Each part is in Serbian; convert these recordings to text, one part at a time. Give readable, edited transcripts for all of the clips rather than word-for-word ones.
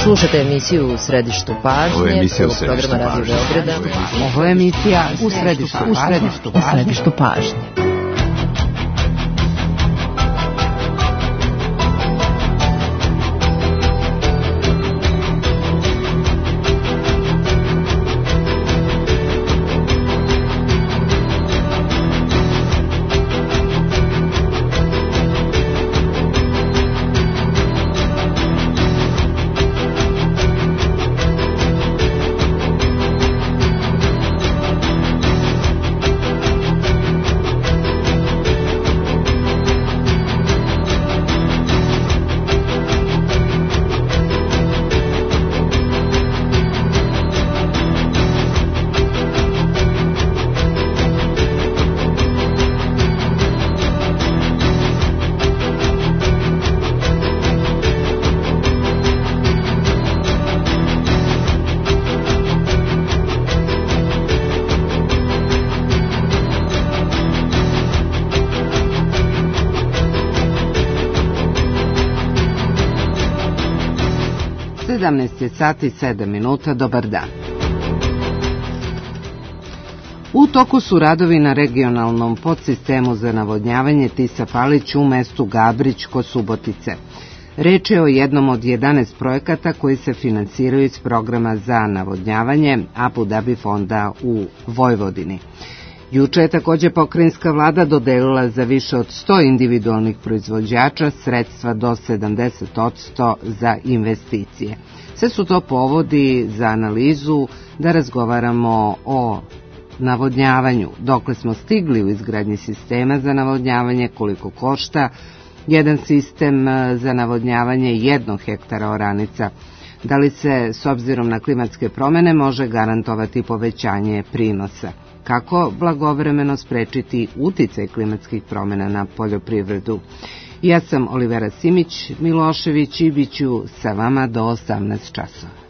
Slušate emisiju U središtu pažnje, programa Radio Beograda. Ovo je emisija U središtu pažnje. Sati 7 minuta, dobar dan. U toku su radovi na regionalnom podsistemu za navodnjavanje Tisa-Palić u mestu Gabrić kod Subotice. Reč je o jednom od 11 projekata koji se finansiraju iz programa za navodnjavanje Abu Dhabi fonda u Vojvodini. Juče je također pokrajinska vlada dodelila za više od 100 individualnih proizvođača sredstva do 70% za investicije. Sve su to povodi za analizu da razgovaramo o navodnjavanju, dokle smo stigli u izgradnji sistema za navodnjavanje, koliko košta jedan sistem za navodnjavanje 1 hektara oranica, da li se s obzirom na klimatske promjene može garantovati povećanje prinosa, kako blagovremeno sprečiti uticaj klimatskih promjena na poljoprivredu. Ja sam Olivera Simić-Milošević i bit ću sa vama do 18 časova.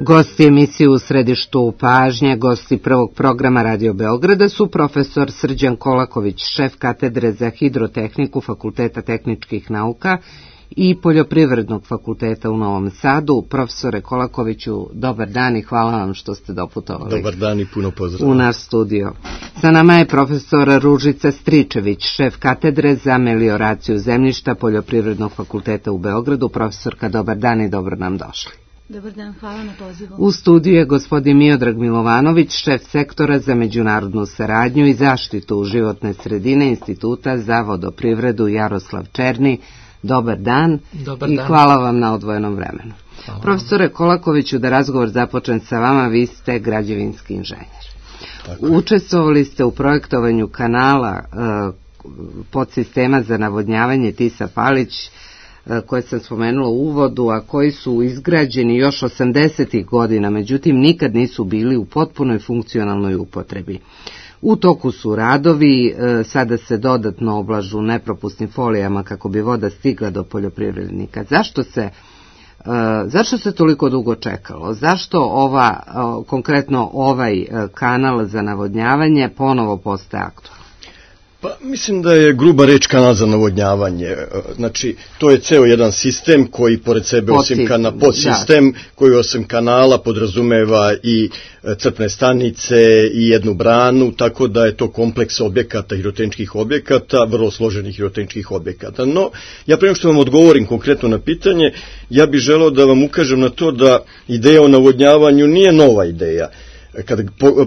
Gosti emisije U središtu pažnje, gosti prvog programa Radio Beograda su profesor Srđan Kolaković, šef katedre za hidrotehniku Fakulteta tehničkih nauka i Poljoprivrednog fakulteta u Novom Sadu. Profesore Kolakoviću, dobar dan i hvala vam što ste doputovali. Dobar dan i puno pozdrav. U naš studio. Sa nama je profesor Ružica Stričević, šef katedre za melioraciju zemljišta Poljoprivrednog fakulteta u Beogradu. Profesorka, dobar dan i dobro nam došli. Dobar dan, hvala na pozivu. U studiju je gospodin Miodrag Milovanović, šef sektora za međunarodnu saradnju i zaštitu životne sredine Instituta za vodoprivredu Jaroslav Černi. Dobar dan. Dobar i dan. Hvala vam na odvojenom vremenu. Hvala. Profesore Kolakoviću, da razgovor započnem sa vama, vi ste građevinski inženjer. Učestvovali ste u projektovanju kanala podsistema za navodnjavanje Tisa-Palić, koje sam spomenula u uvodu, a koji su izgrađeni još 80. godina, međutim nikad nisu bili u potpunoj funkcionalnoj upotrebi. U toku su radovi, sada se dodatno oblažu nepropusnim folijama kako bi voda stigla do poljoprivrednika. Zašto se toliko dugo čekalo? Zašto konkretno ovaj kanal za navodnjavanje ponovo postaje aktualan? Pa mislim da je gruba reč kanal za navodnjavanje. Znači, to je ceo jedan sistem koji pored sebe podsistem koji osim kanala podrazumeva i crpne stanice i jednu branu, tako da je to kompleks objekata, hidrotehničkih objekata, vrlo složenih hidrotehničkih objekata. No, ja prema što vam odgovorim konkretno na pitanje, ja bih želeo da vam ukažem na to da ideja o navodnjavanju nije nova ideja. Kad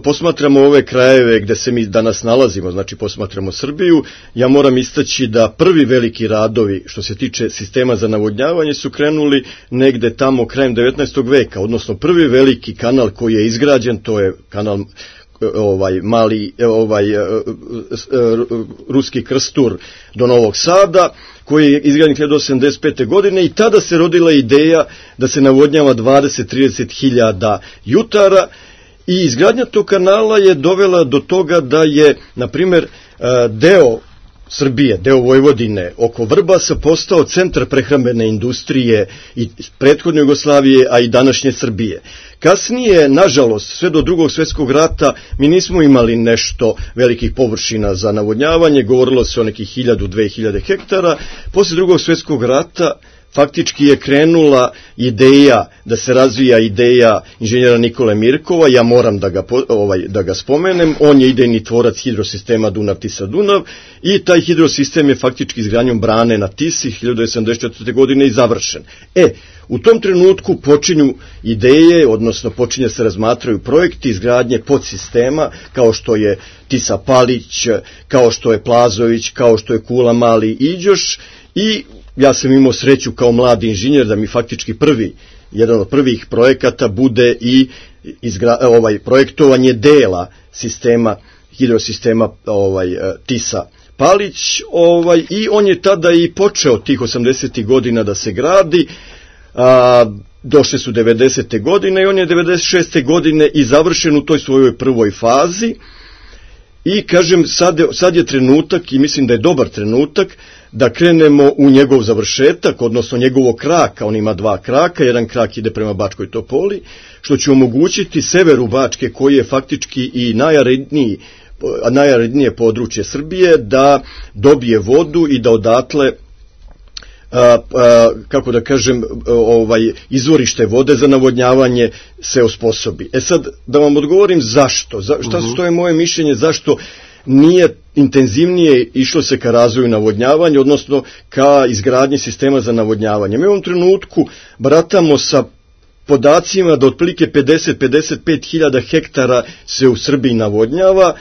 posmatramo ove krajeve gde se mi danas nalazimo, znači posmatramo Srbiju, ja moram istaći da prvi veliki radovi što se tiče sistema za navodnjavanje su krenuli negde tamo krajem 19. veka, odnosno prvi veliki kanal koji je izgrađen, to je kanal Ruski Krstur do Novog Sada, koji je izgrađen 1985. godine i tada se rodila ideja da se navodnjava 20-30 hiljada jutara. I izgradnja tog kanala je dovela do toga da je, na primjer, deo Srbije, deo Vojvodine, oko Vrbasa postao centar prehrambene industrije i prethodne Jugoslavije, a i današnje Srbije. Kasnije, nažalost, sve do Drugog svjetskog rata, mi nismo imali nešto velikih površina za navodnjavanje, govorilo se o nekih 1000-2000 hektara. Posle Drugog svjetskog rata faktički je krenula ideja, da se razvija ideja inženjera Nikole Mirkova, ja moram da ga spomenem, on je idejni tvorac hidrosistema Dunav-Tisa-Dunav i taj hidrosistem je faktički izgradnjom brane na Tisi 1974. godine i završen. U tom trenutku počinju ideje, odnosno počinje se razmatraju projekti izgradnje podsistema, kao što je Tisa Palić, kao što je Plazović, kao što je Kula Mali Iđoš, i ja sam imao sreću kao mladi inženjer da mi faktički jedan od prvih projekata bude i projektovanje dela sistema, hidrosistema Tisa Palić, i on je tada i počeo tih 80. godina da se gradi. Došle su 90. godine i on je 96. godine i završen u toj svojoj prvoj fazi. I kažem, sad je trenutak, i mislim da je dobar trenutak, da krenemo u njegov završetak, odnosno njegovog kraka. On ima 2 kraka, jedan krak ide prema Bačkoj Topoli, što će omogućiti severu Bačke, koji je faktički i najarednije područje Srbije, da dobije vodu i da odatle, kako da kažem, izvorište vode za navodnjavanje se osposobi. Sad, da vam odgovorim zašto, što je moje mišljenje, zašto nije intenzivnije išlo se ka razvoju navodnjavanja, odnosno ka izgradnji sistema za navodnjavanje. Mi u ovom trenutku baratamo sa podacima da otprilike 50-55 hiljada hektara se u Srbiji navodnjava.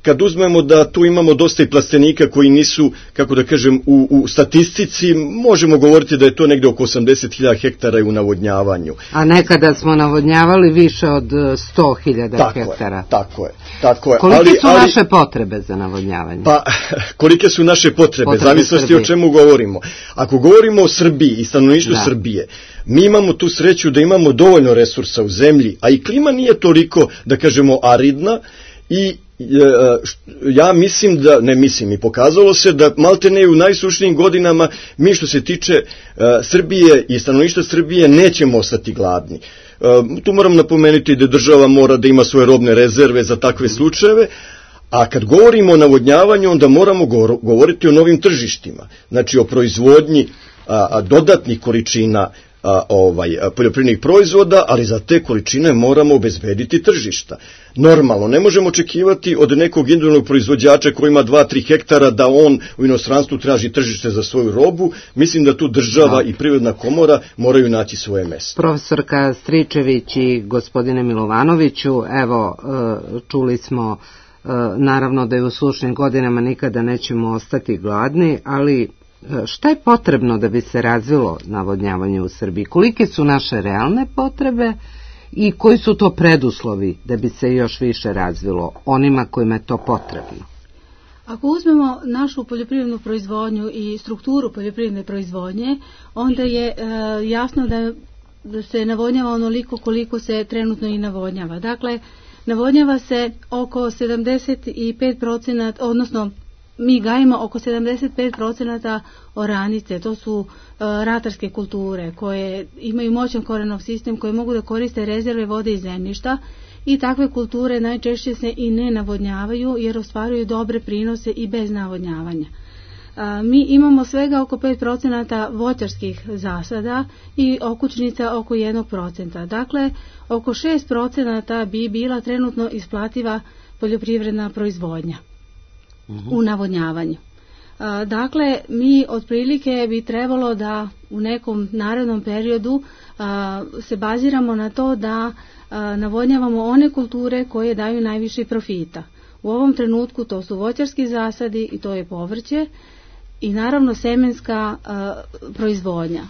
Kad uzmemo da tu imamo dosta i plastenika koji nisu, kako da kažem, u statistici, možemo govoriti da je to negde oko 80.000 hektara u navodnjavanju. A nekada smo navodnjavali više od 100.000 hektara. Tako je. Kolike su naše potrebe za navodnjavanje? Pa, kolike su naše potrebe, zavisnosti o čemu govorimo. Ako govorimo o Srbiji i stanovništvu Srbije, mi imamo tu sreću da imamo dovoljno resursa u zemlji, a i klima nije toliko, da kažemo, aridna, i ja mislim i pokazalo se da maltene u najsušnijim godinama mi, što se tiče Srbije i stanovništva Srbije, nećemo ostati gladni. Tu moram napomenuti da država mora da ima svoje robne rezerve za takve slučajeve, a kad govorimo o navodnjavanju, onda moramo govoriti o novim tržištima, znači o proizvodnji dodatnih količina poljoprivrednih proizvoda, ali za te količine moramo obezbediti tržišta. Normalno, ne možemo očekivati od nekog individualnog proizvođača koji ima 2-3 hektara da on u inostranstvu traži tržište za svoju robu. Mislim da tu država i Privredna komora moraju naći svoje mesto. Profesorka Stričević i gospodine Milovanoviću, evo, čuli smo naravno da je u sušnim godinama nikada nećemo ostati gladni, ali šta je potrebno da bi se razvilo navodnjavanje u Srbiji? Kolike su naše realne potrebe i koji su to preduslovi da bi se još više razvilo onima kojima je to potrebno? Ako uzmemo našu poljoprivrednu proizvodnju i strukturu poljoprivredne proizvodnje, onda je jasno da se navodnjava onoliko koliko se trenutno i navodnjava. Dakle, navodnjava se oko 75%, odnosno mi gajimo oko 75% oranice, to su ratarske kulture koje imaju moćan korenov sistem, koje mogu da koriste rezerve vode i zemljišta, i takve kulture najčešće se i ne navodnjavaju jer ostvaruju dobre prinose i bez navodnjavanja. Mi imamo svega oko 5% voćarskih zasada i okućnica oko 1%. Dakle, oko 6% bi bila trenutno isplativa poljoprivredna proizvodnja u navodnjavanju. Dakle, mi otprilike bi trebalo da u nekom narednom periodu se baziramo na to da navodnjavamo one kulture koje daju najviše profita. U ovom trenutku to su voćarski zasadi i to je povrće i naravno semenska proizvodnja,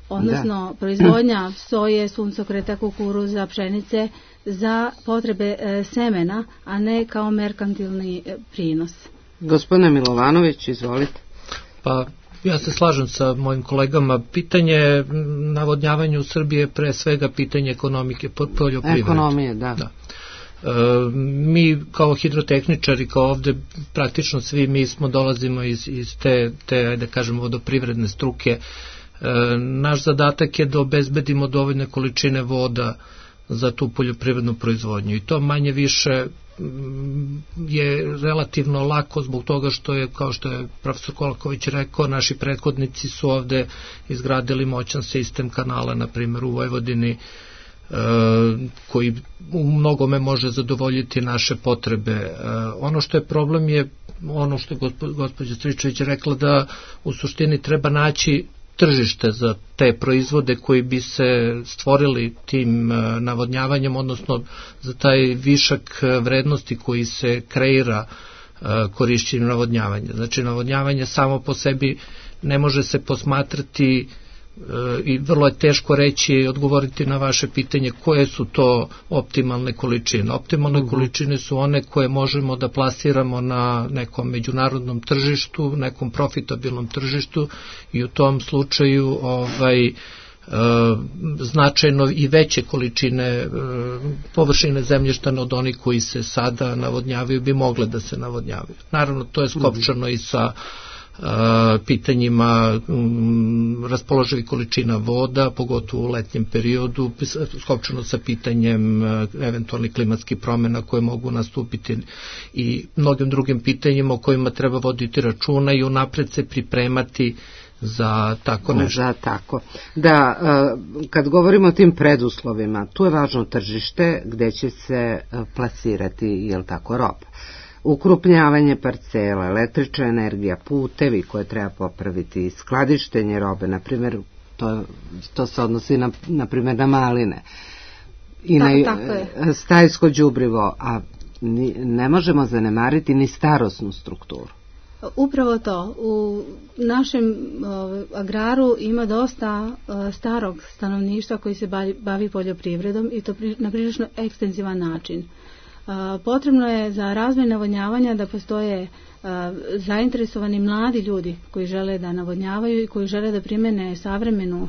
odnosno proizvodnja soje, suncokreta, kukuruza, pšenice za potrebe semena, a ne kao merkantilni prinos. Gospodine Milovanović, izvolite. Pa, ja se slažem sa mojim kolegama. Pitanje navodnjavanja u Srbiji je pre svega pitanje ekonomike, poljoprivrede. Ekonomije, da. Mi kao hidrotehničari, kao ovde praktično svi mi dolazimo iz te da kažemo vodoprivredne struke. Naš zadatak je da obezbedimo dovoljne količine voda za tu poljoprivrednu proizvodnju i to manje više je relativno lako zbog toga što je, kao što je profesor Kolaković rekao, naši prethodnici su ovde izgradili moćan sistem kanala, na primjer u Vojvodini, koji u mnogome može zadovoljiti naše potrebe. Ono što je problem je ono što je gospođa Stričević rekla, da u suštini treba naći tržište za te proizvode koji bi se stvorili tim navodnjavanjem, odnosno za taj višak vrednosti koji se kreira korišćenjem navodnjavanja. Znači, navodnjavanje samo po sebi ne može se posmatrati i vrlo je teško reći i odgovoriti na vaše pitanje koje su to optimalne količine. Optimalne količine su one koje možemo da plasiramo na nekom međunarodnom tržištu, nekom profitabilnom tržištu i u tom slučaju značajno i veće količine površine zemljišta od onih koji se sada navodnjavaju bi mogle da se navodnjavaju. Naravno, to je skopčano i sa pitanjima raspoloživih količina voda, pogotovo u letnjem periodu, skopčano sa pitanjem eventualnih klimatskih promjena koje mogu nastupiti i mnogim drugim pitanjima o kojima treba voditi računa i unapred se pripremati za tako nešto. Da, tako. Da, kad govorimo o tim preduslovima, tu je važno tržište gde će se plasirati, jel tako, roba. Ukrupnjavanje parcela, električna energija, putevi koje treba popraviti, skladištenje robe, na primjer, to se odnosi na primjer na maline i na stajsko đubrivo, a ne možemo zanemariti ni starosnu strukturu. Upravo to. U našem agraru ima dosta starog stanovništva koji se bavi poljoprivredom i to na prilično ekstenzivan način. Potrebno je za razvoj navodnjavanja da postoje zainteresovani mladi ljudi koji žele da navodnjavaju i koji žele da primene savremenu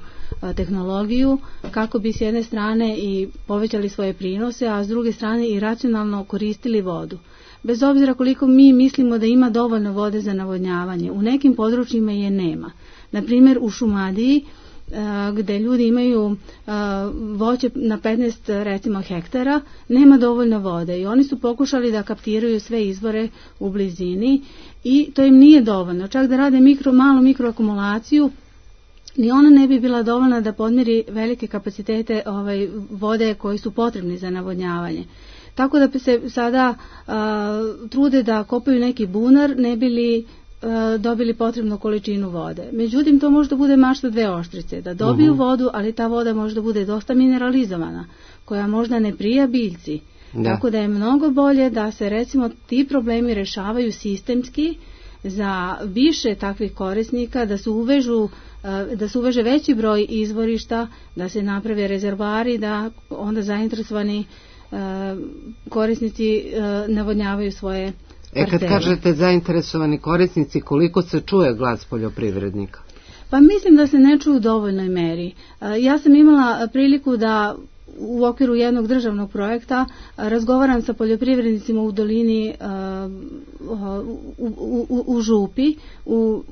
tehnologiju kako bi s jedne strane i povećali svoje prinose, a s druge strane i racionalno koristili vodu. Bez obzira koliko mi mislimo da ima dovoljno vode za navodnjavanje, u nekim područjima je nema. Na primjer u Šumadiji, gde ljudi imaju voće na 15 recimo hektara, nema dovoljno vode i oni su pokušali da kaptiraju sve izvore u blizini i to im nije dovoljno. Čak da rade malu mikroakumulaciju, ni ona ne bi bila dovoljna da podmiri velike kapacitete vode koji su potrebni za navodnjavanje. Tako da se sada trude da kopaju neki bunar, ne bi li dobili potrebnu količinu vode. Međutim, to možda bude mašta dve oštrice, da dobiju vodu, ali ta voda možda bude dosta mineralizovana, koja možda ne prija biljci. Tako da je mnogo bolje da se recimo ti problemi rešavaju sistemski za više takvih korisnika, da se uveže veći broj izvorišta, da se naprave rezervari, da onda zainteresovani korisnici navodnjavaju svoje parcele. Kad kažete zainteresovani korisnici, koliko se čuje glas poljoprivrednika? Pa mislim da se ne čuju u dovoljnoj meri. Ja sam imala priliku da u okviru jednog državnog projekta razgovaram sa poljoprivrednicima u dolini u Župi, u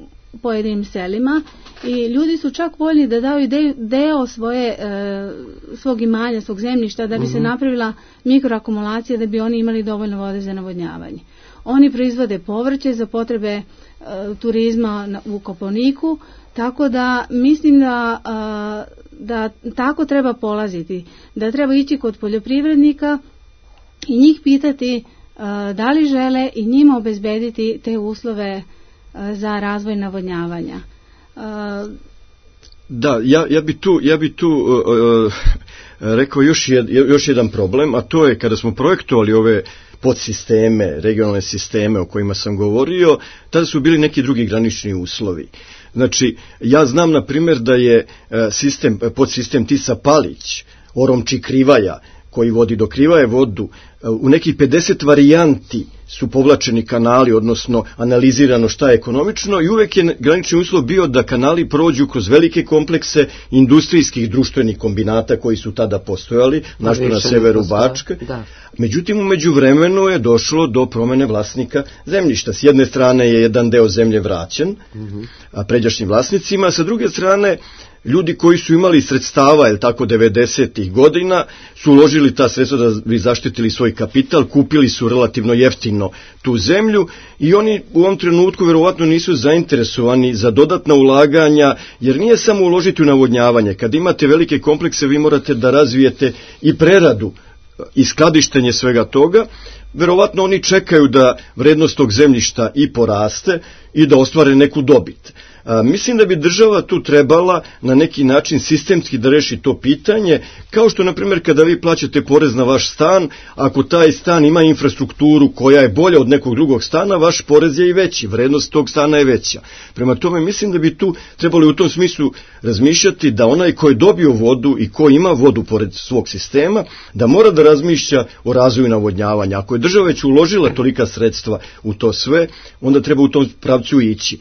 pojedinim selima i ljudi su čak voljni da daju deo svog imanja, svog zemljišta da bi se napravila mikroakumulacija, da bi oni imali dovoljno vode za navodnjavanje. Oni proizvode povrće za potrebe turizma u Kopaoniku, tako da mislim da tako treba polaziti, da treba ići kod poljoprivrednika i njih pitati da li žele i njima obezbediti te uslove za razvoj navodnjavanja. Da, ja bi tu rekao još jedan problem, a to je kada smo projektovali ove podsisteme, regionalne sisteme o kojima sam govorio, tada su bili neki drugi granični uslovi. Znači, ja znam na primjer da je podsistem Tisa Palić, Oromči Krivaja, koji vodi do Krivaje vodu, u nekih 50 varijanti su povlačeni kanali, odnosno analizirano šta je ekonomično i uvek je granični uslov bio da kanali prođu kroz velike komplekse industrijskih društvenih kombinata koji su tada postojali, našto na severu Bačke. Međutim, u međuvremenu je došlo do promene vlasnika zemljišta. S jedne strane je jedan deo zemlje vraćen pređašnjim vlasnicima, sa druge strane ljudi koji su imali sredstava, 90-ih godina, su uložili ta sredstva da bi zaštitili svoj kapital, kupili su relativno jeftino tu zemlju i oni u ovom trenutku verovatno nisu zainteresovani za dodatna ulaganja, jer nije samo uložiti u navodnjavanje. Kad imate velike komplekse, vi morate da razvijete i preradu i skladištenje svega toga. Verovatno oni čekaju da vrednost tog zemljišta i poraste i da ostvare neku dobit. Mislim da bi država tu trebala na neki način sistemski da reši to pitanje, kao što, na primjer, kada vi plaćate porez na vaš stan, ako taj stan ima infrastrukturu koja je bolja od nekog drugog stana, vaš porez je i veći, vrednost tog stana je veća. Prema tome, mislim da bi tu trebali u tom smislu razmišljati da onaj ko je dobio vodu i ko ima vodu pored svog sistema, da mora da razmišlja o razvoju navodnjavanja. Ako je država već uložila tolika sredstva u to sve, onda treba u tom pravcu ići.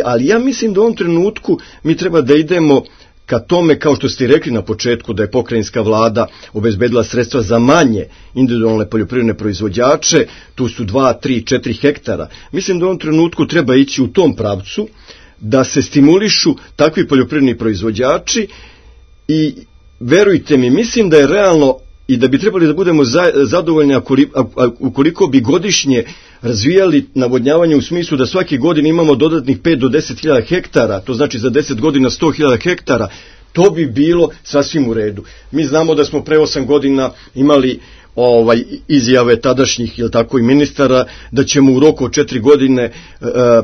Ali ja mislim da u ovom trenutku mi treba da idemo ka tome, kao što ste rekli na početku, da je pokrajinska vlada obezbedila sredstva za manje individualne poljoprivredne proizvođače, tu su 2, 3, 4 hektara. Mislim da u ovom trenutku treba ići u tom pravcu, da se stimulišu takvi poljoprivredni proizvođači i verujte mi, mislim da je realno i da bi trebali da budemo zadovoljni ukoliko bi godišnje razvijali navodnjavanje u smislu da svake godine imamo dodatnih 5 do 10.000 hektara, to znači za 10 godina 100.000 hektara, to bi bilo sasvim u redu. Mi znamo da smo pre 8 godina imali izjave tadašnjih i ministara da ćemo u roku od 4 godine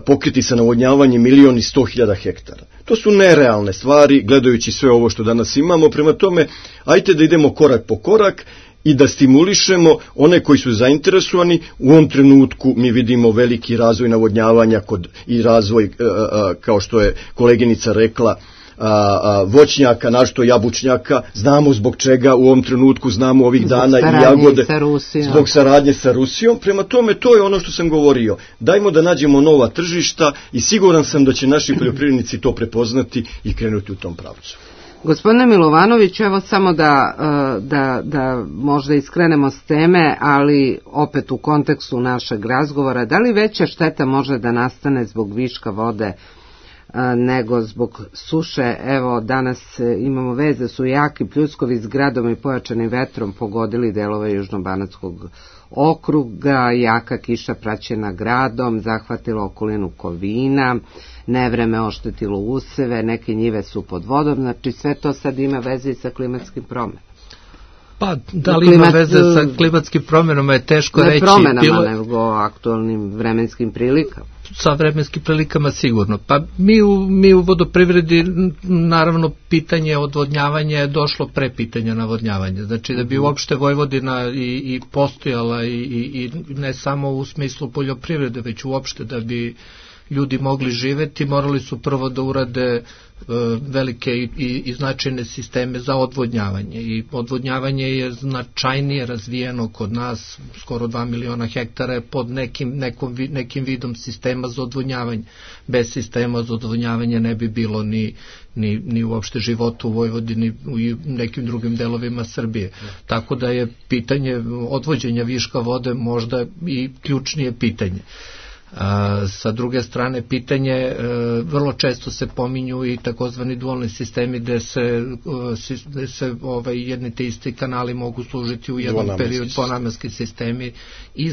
pokriti sa navodnjavanjem 1.100.000 hektara. To su nerealne stvari, gledajući sve ovo što danas imamo. Prema tome, ajte da idemo korak po korak i da stimulišemo one koji su zainteresovani. U ovom trenutku mi vidimo veliki razvoj navodnjavanja i razvoj, kao što je koleginica rekla, voćnjaka, našto jabučnjaka, znamo zbog čega u ovom trenutku, znamo ovih dana i jagode, zbog saradnje sa Rusijom. Prema tome, to je ono što sam govorio. Dajmo da nađemo nova tržišta i siguran sam da će naši poljoprivrednici to prepoznati i krenuti u tom pravcu. Gospodine Milovanović, evo samo da možda iskrenemo s teme, ali opet u kontekstu našeg razgovora, da li veća šteta može da nastane zbog viška vode nego zbog suše? Evo, danas imamo vez da su jaki pljuskovi s gradom i pojačanim vetrom pogodili delove Južnobanatskog okruga, jaka kiša praćena gradom zahvatila okolinu Kovina, nevreme oštetilo useve, neke njive su pod vodom, znači sve to sad ima veze i sa klimatskim promjenama. Pa, da li ima veze sa klimatskim promjenama je teško reći. Ne promjenama, nego aktualnim vremenskim prilikama. Sa vremenskim prilikama sigurno. Pa mi u vodoprivredi, naravno, pitanje odvodnjavanja je došlo pre pitanja navodnjavanja. Znači da bi uopšte Vojvodina i postojala i ne samo u smislu poljoprivrede, već uopšte da bi ljudi mogli živeti, morali su prvo da urade velike i značajne sisteme za odvodnjavanje. I odvodnjavanje je značajnije razvijeno kod nas, skoro 2 miliona hektara je pod nekim vidom sistema za odvodnjavanje. Bez sistema za odvodnjavanje ne bi bilo ni uopšte života u Vojvodini i nekim drugim delovima Srbije. Tako da je pitanje odvođenja viška vode možda i ključnije pitanje. Sa druge strane, pitanje, vrlo često se pominju i takozvani dualni sistemi gde se jedni te isti kanali mogu služiti u jednom periodu, dvonamenski sistemi i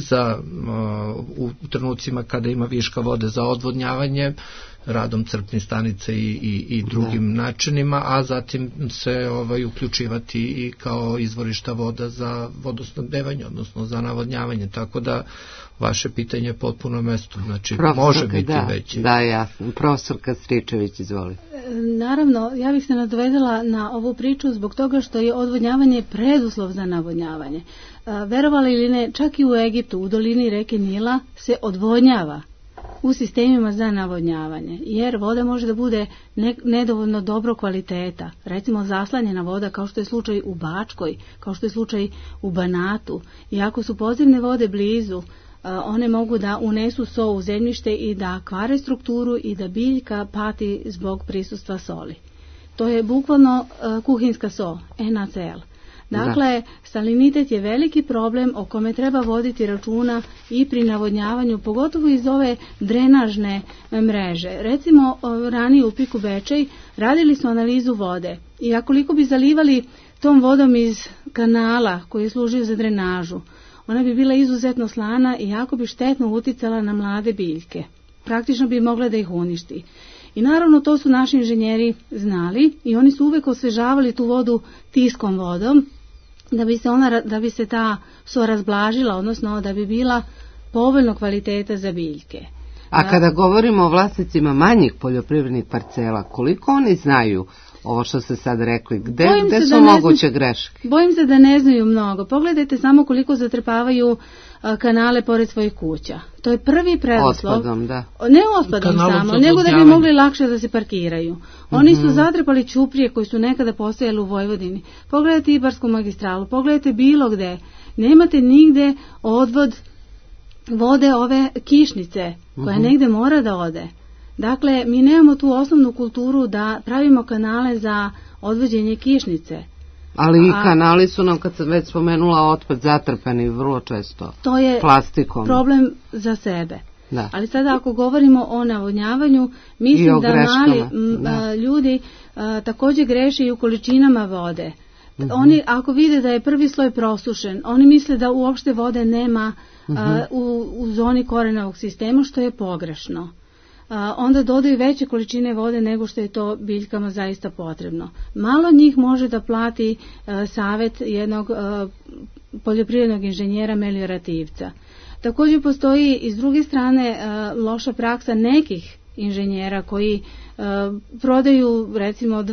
u trenucima kada ima viška vode za odvodnjavanje, radom crpnih stanica i drugim načinima, a zatim se uključivati i kao izvorišta voda za vodosnabdevanje, odnosno za navodnjavanje, tako da vaše pitanje je potpuno mesto, znači može biti veći. Da, jasno. Profesorka Stričević, izvoli. Naravno, ja bih se nadovedala na ovu priču zbog toga što je odvodnjavanje preduslov za navodnjavanje. Verovali ili ne, čak i u Egiptu, u dolini reke Nila se odvodnjava u sistemima za navodnjavanje, jer voda može da bude nedovoljno dobro kvaliteta, recimo zaslanjena voda kao što je slučaj u Bačkoj, kao što je slučaj u Banatu, i ako su podzemne vode blizu, one mogu da unesu so u zemljište i da kvare strukturu i da biljka pati zbog prisustva soli. To je bukvalno kuhinska so, NaCl. Dakle, salinitet je veliki problem o kome treba voditi računa i pri navodnjavanju, pogotovo iz ove drenažne mreže. Recimo, ranije u Piku Bečej radili smo analizu vode i akoliko bi zalivali tom vodom iz kanala koji je služio za drenažu, ona bi bila izuzetno slana i jako bi štetno uticala na mlade biljke. Praktično bi mogla da ih uništi. I naravno to su naši inženjeri znali i oni su uvek osvežavali tu vodu tiskom vodom da bi se ta so razblažila, odnosno da bi bila povoljno kvaliteta za biljke. A kada govorimo o vlasnicima manjih poljoprivrednih parcela, koliko oni znaju ovo što ste sad rekli? Gde su moguće greške? Bojim se da ne znaju mnogo. Pogledajte samo koliko zatrpavaju kanale pored svojih kuća. To je prvi preduslov. Otpadom, da. Ne otpadom samo, nego da bi mogli lakše da se parkiraju. Oni su zatrpali ćuprije koji su nekada postojali u Vojvodini. Pogledajte Ibarsku magistralu, pogledajte bilo gde. Nemate nigde odvod vode ove kišnice koja negde mora da ode. Dakle, mi nemamo tu osnovnu kulturu da pravimo kanale za odvođenje kišnice. Ali i kanali su nam, kad sam već spomenula, otpad zatrpani vrlo često plastikom. To je problem za sebe. Da. Ali sada ako govorimo o navodnjavanju, mislim da mali ljudi također greše i u količinama vode. Oni ako vide da je prvi sloj prosušen, oni misle da uopšte vode nema u zoni korenovog sistema, što je pogrešno. Onda dodaju veće količine vode nego što je to biljkama zaista potrebno. Malo njih može da plati savjet jednog poljoprivrednog inženjera meliorativca. Također postoji i s druge strane loša praksa nekih inženjera koji prodaju recimo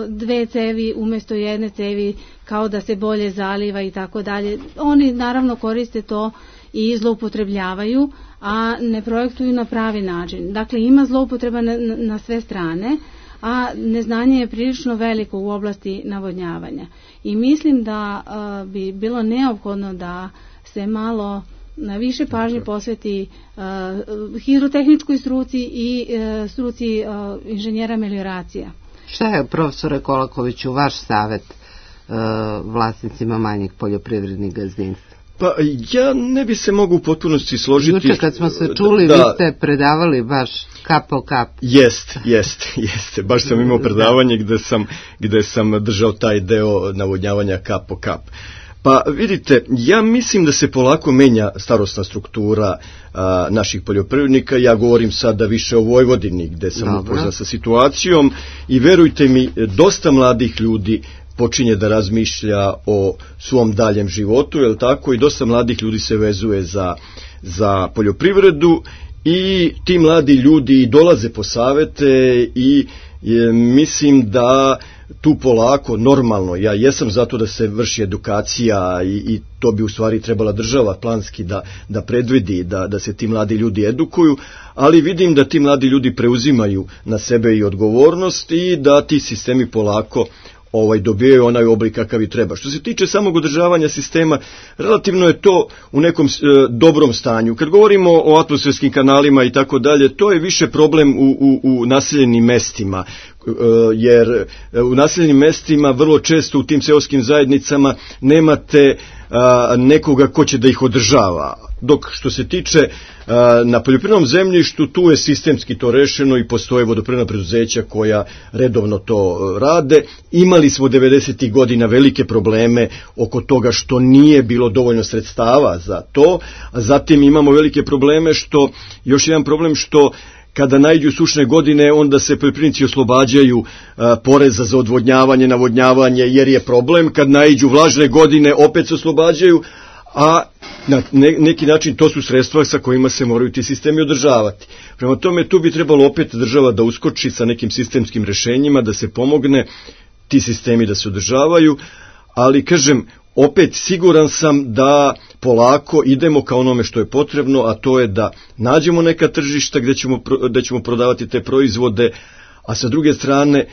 dve cevi umjesto jedne cevi kao da se bolje zaliva i tako dalje. Oni naravno koriste to i zloupotrebljavaju, a ne projektuju na pravi način. Dakle, ima zloupotreba na sve strane, a neznanje je prilično veliko u oblasti navodnjavanja. I mislim da bi bilo neophodno da se malo na više pažnje posveti hidrotehničkoj struci i struci inženjera melioracija. Šta je, profesore Kolakoviću, vaš savjet vlasnicima manjih poljoprivrednih gazdinstva? Pa ja ne bi se mogu u potpunosti složiti. Juče kad smo se čuli, vi ste predavali baš kap po kap. Jeste. Baš sam imao predavanje gde sam držao taj deo navodnjavanja kap po kap. Pa vidite, ja mislim da se polako menja starosna struktura naših poljoprivrednika. Ja govorim sada više o Vojvodini, gde sam upoznat sa situacijom i verujte mi, dosta mladih ljudi počinje da razmišlja o svom daljem životu, je li tako, i dosta mladih ljudi se vezuje za poljoprivredu i ti mladi ljudi dolaze po savete i mislim da tu polako, normalno, ja jesam zato da se vrši edukacija i to bi u stvari trebala država planski da predvidi, da se ti mladi ljudi edukuju, ali vidim da ti mladi ljudi preuzimaju na sebe i odgovornost i da ti sistemi polako dobijaju onaj oblik kakav i treba. Što se tiče samog održavanja sistema, relativno je to u nekom dobrom stanju. Kad govorimo o atmosferskim kanalima i tako dalje, to je više problem u naseljenim mestima, jer u naseljenim mestima vrlo često u tim seoskim zajednicama nemate nekoga ko će da ih održava. Dok što se tiče na poljoprivrednom zemljištu, tu je sistemski to rešeno i postoje vodoprivredna preduzeća koja redovno to rade. Imali smo 90. godina velike probleme oko toga što nije bilo dovoljno sredstava za to, a zatim imamo velike probleme još jedan problem što kada naiđu sušne godine, onda se poljoprivrednici oslobađaju poreza za odvodnjavanje, navodnjavanje, jer je problem. Kad naiđu vlažne godine, opet se oslobađaju, a na neki način to su sredstva sa kojima se moraju ti sistemi održavati. Prema tome, tu bi trebalo opet država da uskoči sa nekim sistemskim rešenjima, da se pomogne ti sistemi da se održavaju, ali kažem, opet siguran sam da polako idemo ka onome što je potrebno, a to je da nađemo neka tržišta gde ćemo prodavati te proizvode, a sa druge strane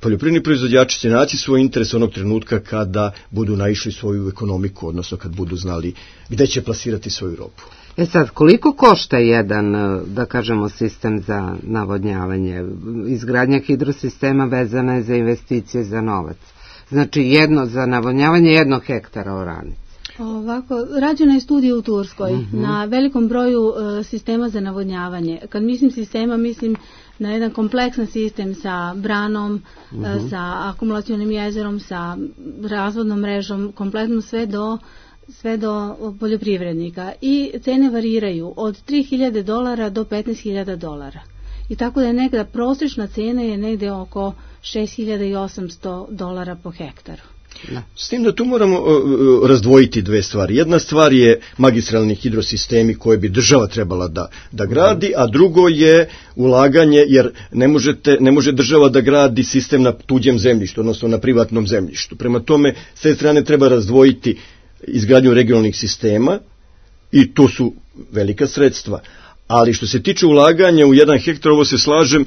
poljoprivredni proizvođači će naći svoj interes onog trenutka kada budu naišli svoju ekonomiku, odnosno kad budu znali gde će plasirati svoju robu. Sad, koliko košta jedan, da kažemo, sistem za navodnjavanje? Izgradnja hidrosistema vezana je za investicije za novac. Znači, za navodnjavanje 1 hektara oranice. Ovako, rađena je studija u Turskoj na velikom broju sistema za navodnjavanje. Kad mislim sistema, mislim na jedan kompleksan sistem sa branom, sa akumulacionim jezerom, sa razvodnom mrežom, kompletno sve do poljoprivrednika. I cene variraju od $3.000 do $15.000. I tako da je negda prosječna cena je negde oko $6.800 po hektaru. S tim da tu moramo razdvojiti dve stvari. Jedna stvar je magistralni hidrosistemi koje bi država trebala da gradi, a drugo je ulaganje, jer ne može država da gradi sistem na tuđem zemljištu, odnosno na privatnom zemljištu. Prema tome, s te strane treba razdvojiti izgradnju regionalnih sistema i to su velika sredstva. Ali što se tiče ulaganja u 1 hektar, ovo se slažem,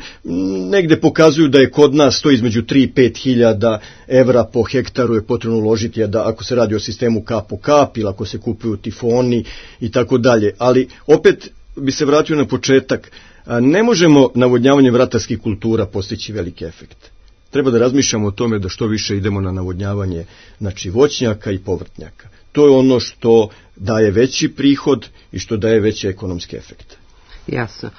negde pokazuju da je kod nas to između 3 i 5 hiljada evra po hektaru je potrebno uložiti, ako se radi o sistemu kap po kap ili ako se kupuju tifoni i tako dalje. Ali opet bi se vratio na početak, ne možemo navodnjavanjem ratarskih kultura postići veliki efekt. Treba da razmišljamo o tome da što više idemo na navodnjavanje, znači voćnjaka i povrtnjaka. To je ono što daje veći prihod i što daje veće ekonomske efekte. Jasno.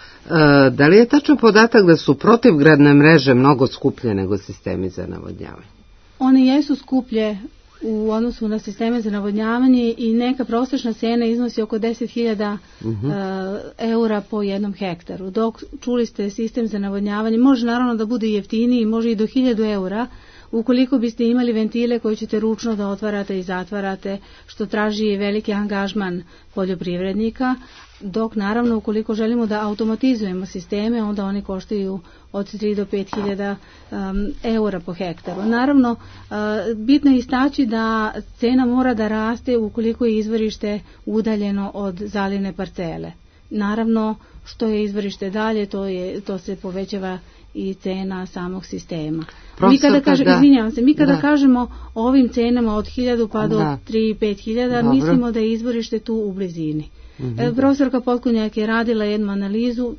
Da li je tačan podatak da su protivgradne mreže mnogo skuplje nego sistemi za navodnjavanje? One jesu skuplje u odnosu na sisteme za navodnjavanje i neka prosječna cena iznosi oko 10.000 eura po 1 hektaru. Dok čuli ste sistem za navodnjavanje, može naravno da bude jeftiniji, može i do 1.000 eura, ukoliko biste imali ventile koje ćete ručno da otvarate i zatvarate, što traži veliki angažman poljoprivrednika, dok naravno ukoliko želimo da automatizujemo sisteme, onda oni koštaju od 3 do 5.000 eura po hektaru. Naravno, bitno je istaći da cena mora da raste ukoliko je izvorište udaljeno od zalivne parcele. Naravno, što je izvorište dalje, to se povećava i cena samog sistema. Mi kada kažemo o ovim cenama od 1.000 pa do 3-5.000, mislimo da je izvorište tu u blizini. Profesorka Potkonjak je radila jednu analizu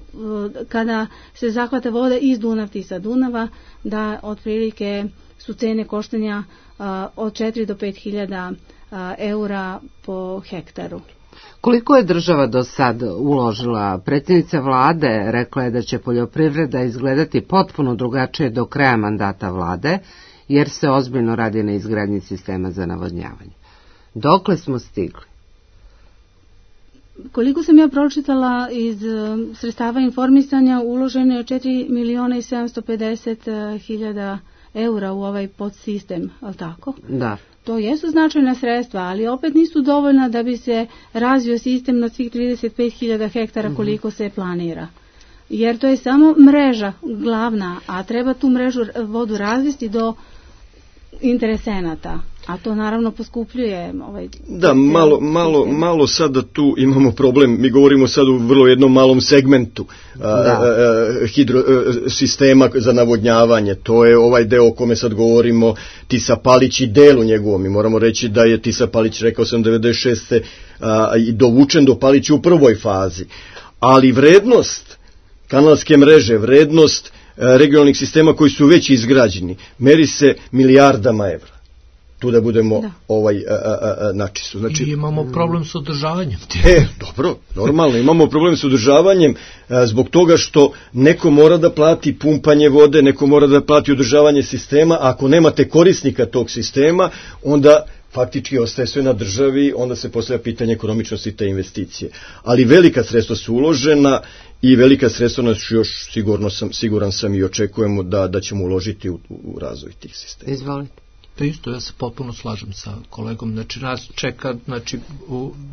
kada se zahvata voda iz Dunavti sa Dunava, da otprilike su cene koštanja od 4 do 5.000 eura po hektaru. Koliko je država do sad uložila? Predsjednica vlade rekla je da će poljoprivreda izgledati potpuno drugačije do kraja mandata vlade, jer se ozbiljno radi na izgradnji sistema za navodnjavanje. Dokle smo stigli? Koliko sam ja pročitala iz sredstava informisanja, uloženo je 4.750.000 eura u ovaj podsistem, ali tako? Da. To jesu značajna sredstva, ali opet nisu dovoljna da bi se razvio sistem na svih 35.000 hektara koliko se planira. Jer to je samo mreža glavna, a treba tu mrežu vodu razvesti do interesenata, a to naravno poskupljuje Da, malo sada tu imamo problem, mi govorimo sad u vrlo jednom malom segmentu sistema za navodnjavanje, to je ovaj deo o kome sad govorimo, Tisa Palić i delu njegovom, mi moramo reći da je Tisa Palić, rekao sam 96. I dovučen do Palića u prvoj fazi, ali vrednost kanalske mreže, vrednost regionalnih sistema koji su već izgrađeni, meri se milijardama evra. Tu da budemo načistu. Znači, i imamo problem s održavanjem. Dobro, normalno, imamo problem s održavanjem zbog toga što neko mora da plati pumpanje vode, neko mora da plati održavanje sistema, a ako nemate korisnika tog sistema, onda faktički ostaje sve na državi, onda se postavlja pitanje ekonomičnosti te investicije. Ali velika sredstva su uložena i velika sredstva nas još siguran sam i očekujemo da ćemo uložiti u razvoj tih sistema. Izvolite. Pa isto, ja se potpuno slažem sa kolegom, znači nas čeka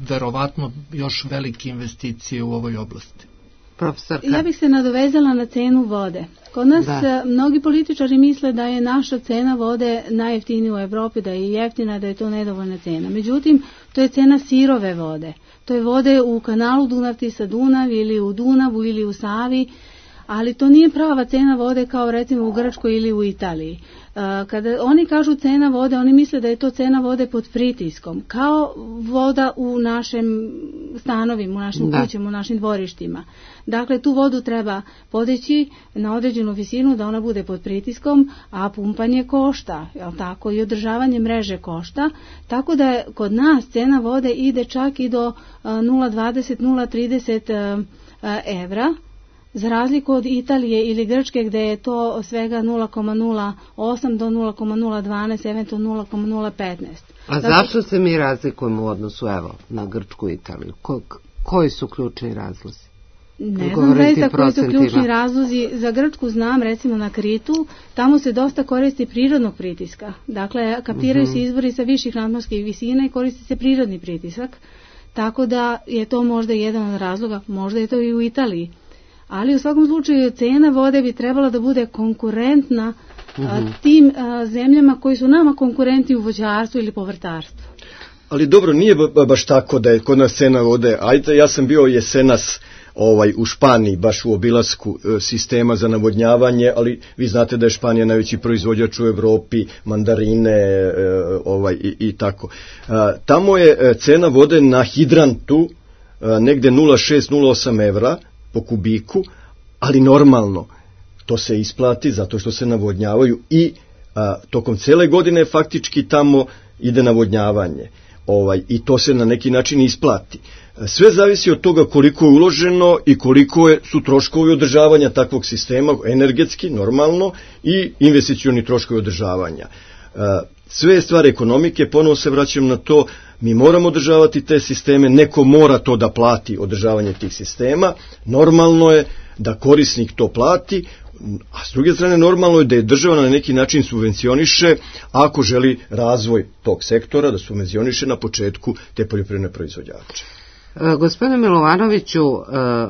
verovatno još velike investicije u ovoj oblasti. Profesorka? Ja bih se nadovezala na cenu vode. Kod nas mnogi političari misle da je naša cena vode najjeftinija u Evropi, da je jeftina, da je to nedovoljna cena. Međutim, to je cena sirove vode. To je vode u kanalu Dunav-Tisa-Dunav ili u Dunavu ili u Savi, ali to nije prava cena vode kao recimo u Grčkoj ili u Italiji. Kada oni kažu cena vode, oni misle da je to cena vode pod pritiskom, kao voda u našim stanovima, u našim kućama, u našim dvorištima. Dakle, tu vodu treba podići na određenu visinu da ona bude pod pritiskom, a pumpanje košta, jel tako, i održavanje mreže košta, tako da kod nas cena vode ide čak i do 0,20-0,30 evra, za razliku od Italije ili Grčke gde je to svega 0,08 do 0,012, eventualno 0,015. A zašto se mi razlikujemo u odnosu na Grčku i Italiju? Koji su ključni razlozi? Ne znam zaista koji su ključni razlozi. Za Grčku znam, recimo na Kritu, tamo se dosta koristi prirodnog pritiska. Dakle, kapiraju se izvori sa viših nadmorskih visina i koristi se prirodni pritisak. Tako da je to možda jedan od razloga, možda je to i u Italiji. Ali u svakom slučaju cena vode bi trebala da bude konkurentna tim zemljama koji su nama konkurenti u voćarstvu ili povrtarstvu. Ali dobro, nije baš tako da je kod nas cena vode. Ajde, ja sam bio jesenas u Španiji, baš u obilasku sistema za navodnjavanje, ali vi znate da je Španija najveći proizvođač u Evropi, mandarine i tako. Tamo je cena vode na hidrantu negde 0,6-0,8 evra po kubiku, ali normalno to se isplati zato što se navodnjavaju i tokom cele godine faktički tamo ide navodnjavanje i to se na neki način isplati. Sve zavisi od toga koliko je uloženo i koliko su troškovi održavanja takvog sistema, energetski, normalno, i investicioni troškovi održavanja. Sve je stvar ekonomike, ponovo se vraćam na to, mi moramo održavati te sisteme, neko mora to da plati, održavanje tih sistema, normalno je da korisnik to plati, a s druge strane normalno je da je država na neki način subvencioniše ako želi razvoj tog sektora, da subvencioniše na početku te poljoprivredne proizvođače. Gospodine Milovanoviću,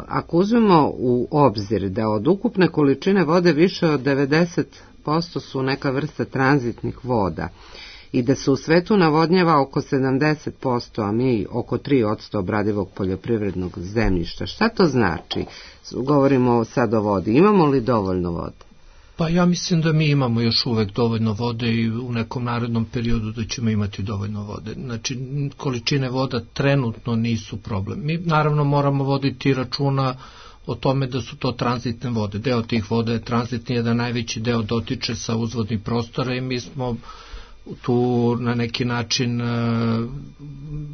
ako uzmemo u obzir da od ukupne količine vode više od 90% su neka vrsta tranzitnih voda i da se u svetu navodnjava oko 70%, a mi oko 3% obradivog poljoprivrednog zemljišta, šta to znači? Govorimo sad o vodi. Imamo li dovoljno vode? Pa ja mislim da mi imamo još uvek dovoljno vode i u nekom narednom periodu da ćemo imati dovoljno vode. Znači, količine voda trenutno nisu problem. Mi naravno moramo voditi računa o tome da su to tranzitne vode. Deo tih voda je tranzitni, jedan najveći deo dotiče sa uzvodnih prostora i mi smo tu na neki način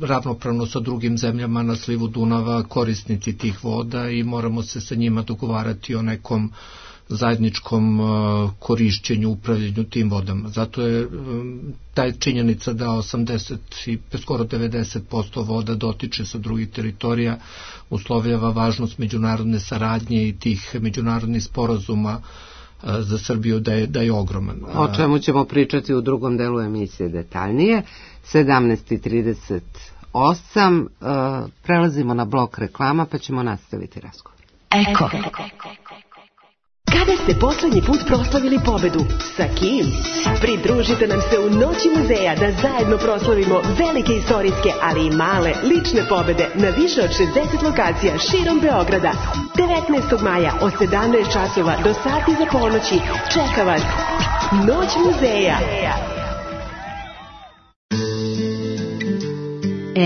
ravnopravno sa drugim zemljama na slivu Dunava korisnici tih voda i moramo se sa njima dogovarati o nekom zajedničkom korišćenju, upravljanju tim vodama. Zato je taj činjenica da 80 i skoro 90% voda dotiče sa drugih teritorija uslovljava važnost međunarodne saradnje i tih međunarodnih sporazuma za Srbiju da je ogroman. O čemu ćemo pričati u drugom delu emisije detaljnije. 17:38. Prelazimo na blok reklama pa ćemo nastaviti razgovor. Eko. Kada ste poslednji put proslavili pobedu? Sa kim? Pridružite nam se u Noći muzeja da zajedno proslavimo velike istorijske, ali i male lične pobede na više od 60 lokacija širom Beograda. 19. maja od 17 časova do sati za ponoći čeka vas Noć muzeja.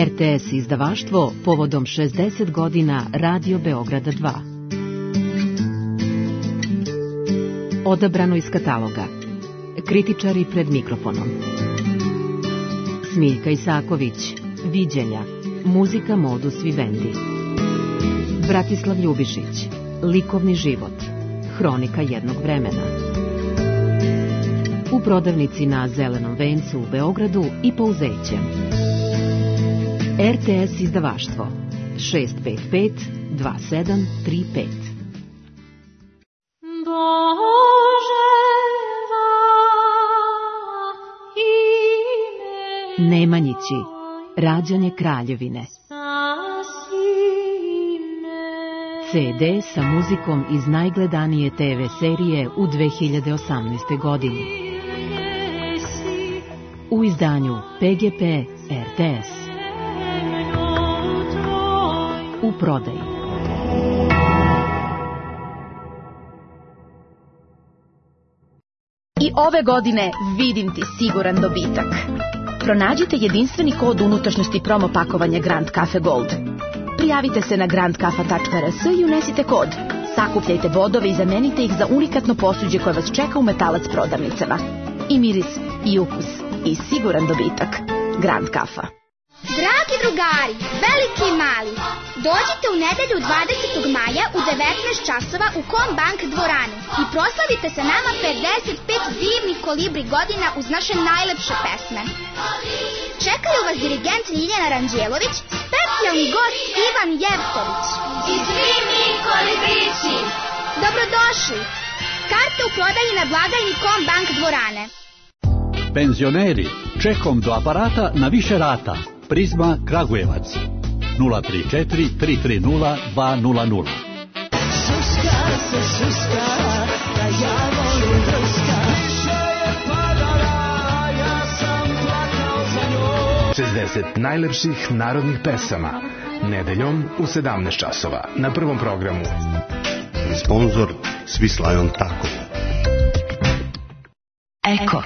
RTS izdavaštvo povodom 60 godina Radio Beograda 2. Odabrano iz kataloga. Kritičari pred mikrofonom. Smiljka Isaković. Viđenja. Muzika Modus Vivendi. Bratislav Ljubišić. Likovni život. Hronika jednog vremena. U prodavnici na Zelenom vencu u Beogradu i Pouzeće. RTS izdavaštvo 655 2735. Nemanjići, rađanje Kraljevine. CD sa muzikom iz najgledanije TV serije u 2018. godini. U izdanju PGP RTS. U prodaji. I ove godine vidim ti siguran dobitak. Pronađite jedinstveni kod unutrašnjosti promo pakovanja Grand Cafe Gold. Prijavite se na grandkafa.rs i unesite kod. Sakupljajte bodove i zamenite ih za unikatno posuđe koje vas čeka u Metalac prodavnicama. I miris, i ukus, i siguran dobitak. Grand Cafa. Dragi drugari, veliki i mali, dođite u nedelju 20. maja u 19 časova u Kombank dvoranu i proslavite sa nama 55 divnih kolibri godina uz naše najlepše pesme. Čekaju vas dirigent Ljiljana Ranđelović, specijalni gost Ivan Jevtović i svi mi kolibrići. Dobrodošli! Karte u prodaji na blagajni Kombank dvorane. Penzioneri, čekom do aparata na više rata. Prizma Kragujevac 034 330 200. Šuška se šuška, da ja volim druška. Više je padala, ja sam plakao za njom. 60 najlepših narodnih pesama. Nedeljom u 17 časova na Prvom programu. Sponzor Svislajon Tako. Eko.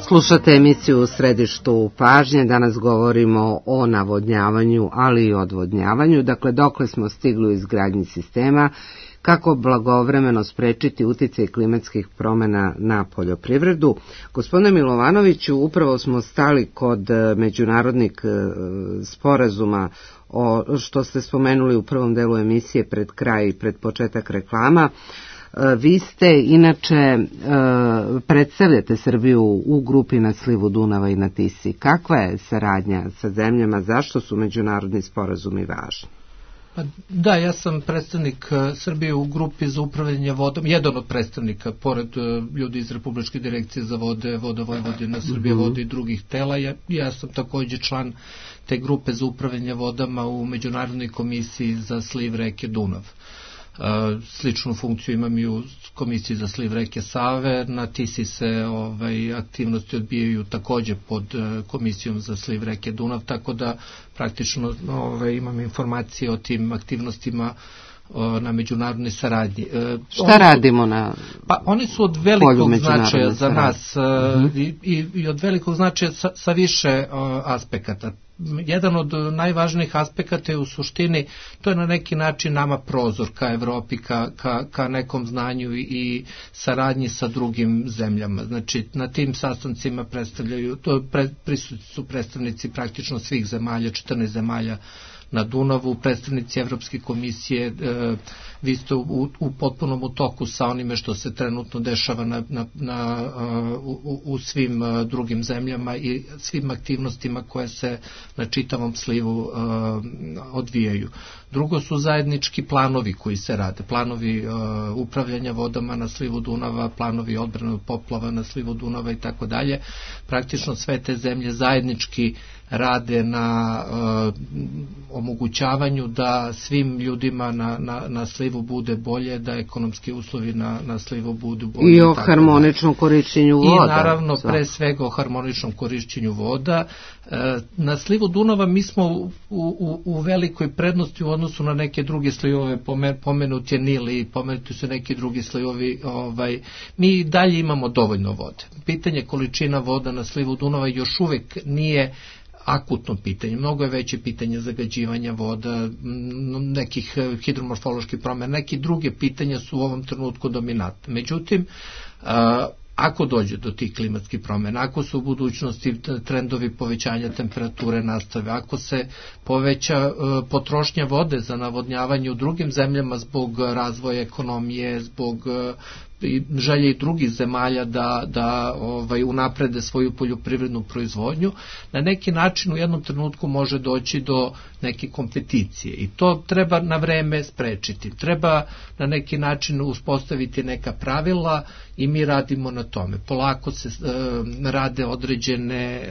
Slušate emisiju u središtu pažnje, danas govorimo o navodnjavanju, ali i odvodnjavanju, dakle dokle smo stigli u izgradnji sistema, kako blagovremeno sprečiti uticaj klimatskih promjena na poljoprivredu. Gospodine Milovanoviću, upravo smo stali kod međunarodnih sporazuma, što ste spomenuli u prvom delu emisije pred kraj i pred početak reklama. Vi ste, inače, predstavljate Srbiju u grupi na slivu Dunava i na Tisi. Kakva je saradnja sa zemljama, zašto su međunarodni sporazumi važni? Da, ja sam predstavnik Srbije u grupi za upravljanje vodom, jedan od predstavnika, pored ljudi iz Republičke direkcije za vode, Voda Vojvodina, Srbije vode i drugih tela. Ja sam takođe član te grupe za upravljanje vodama u Međunarodnoj komisiji za sliv reke Dunav. Sličnu funkciju imam i u komisiji za sliv reke Save. Na Tisi se aktivnosti odbijaju takođe pod komisijom za sliv reke Dunav, tako da praktično imam informacije o tim aktivnostima na međunarodnoj saradnji. Šta radimo na Pa oni su od velikog značaja za nas i od velikog značaja sa više aspekata. Jedan od najvažnijih aspekata je u suštini, to je na neki način nama prozor ka Evropi, ka nekom znanju i saradnji sa drugim zemljama. Znači, na tim sastancima prisutni su predstavnici praktično svih zemalja, 14 zemalja na Dunavu, predstavnici Evropske komisije. Vi ste u potpunom utoku sa onime što se trenutno dešava u svim drugim zemljama i svim aktivnostima koje se na čitavom slivu odvijaju. Drugo su zajednički planovi koji se rade, planovi upravljanja vodama na slivu Dunava, planovi odbrane od poplava na slivu Dunava i tako dalje. Praktično sve te zemlje zajednički rade na omogućavanju da svim ljudima na slivu bude bolje, da ekonomski uslovi na slivu budu bolje. I o harmoničnom korišćenju voda. I naravno pre svega o harmoničnom korišćenju voda. Na slivu Dunava mi smo u velikoj prednosti u odnosu na neke druge slivove, pomenut je Nil i pomenuti su neki drugi slivovi. Mi dalje imamo dovoljno vode. Pitanje količina voda na slivu Dunava još uvek nije akutno pitanje. Mnogo je veće pitanje zagađivanja voda, nekih hidromorfoloških promjena, neki druge pitanja su u ovom trenutku dominantne. Međutim, ako dođe do tih klimatskih promjena, ako su u budućnosti trendovi povećanja temperature nastave, ako se poveća potrošnja vode za navodnjavanje u drugim zemljama zbog razvoja ekonomije, zbog želje i drugih zemalja da unaprede svoju poljoprivrednu proizvodnju, na neki način u jednom trenutku može doći do neke kompeticije i to treba na vreme sprečiti. Treba na neki način uspostaviti neka pravila i mi radimo na tome. Polako se rade određene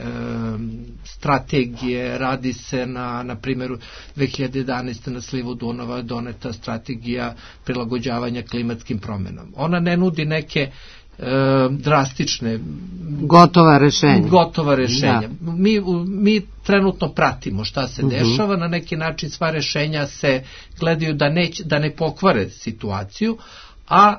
strategije, radi se na primjeru 2011. na slivu Dunava doneta strategija prilagođavanja klimatskim promjenama. Ona ne nudi neke drastične gotova rešenja. Mi trenutno pratimo šta se dešava, na neki način sva rešenja se gledaju da ne pokvare situaciju, a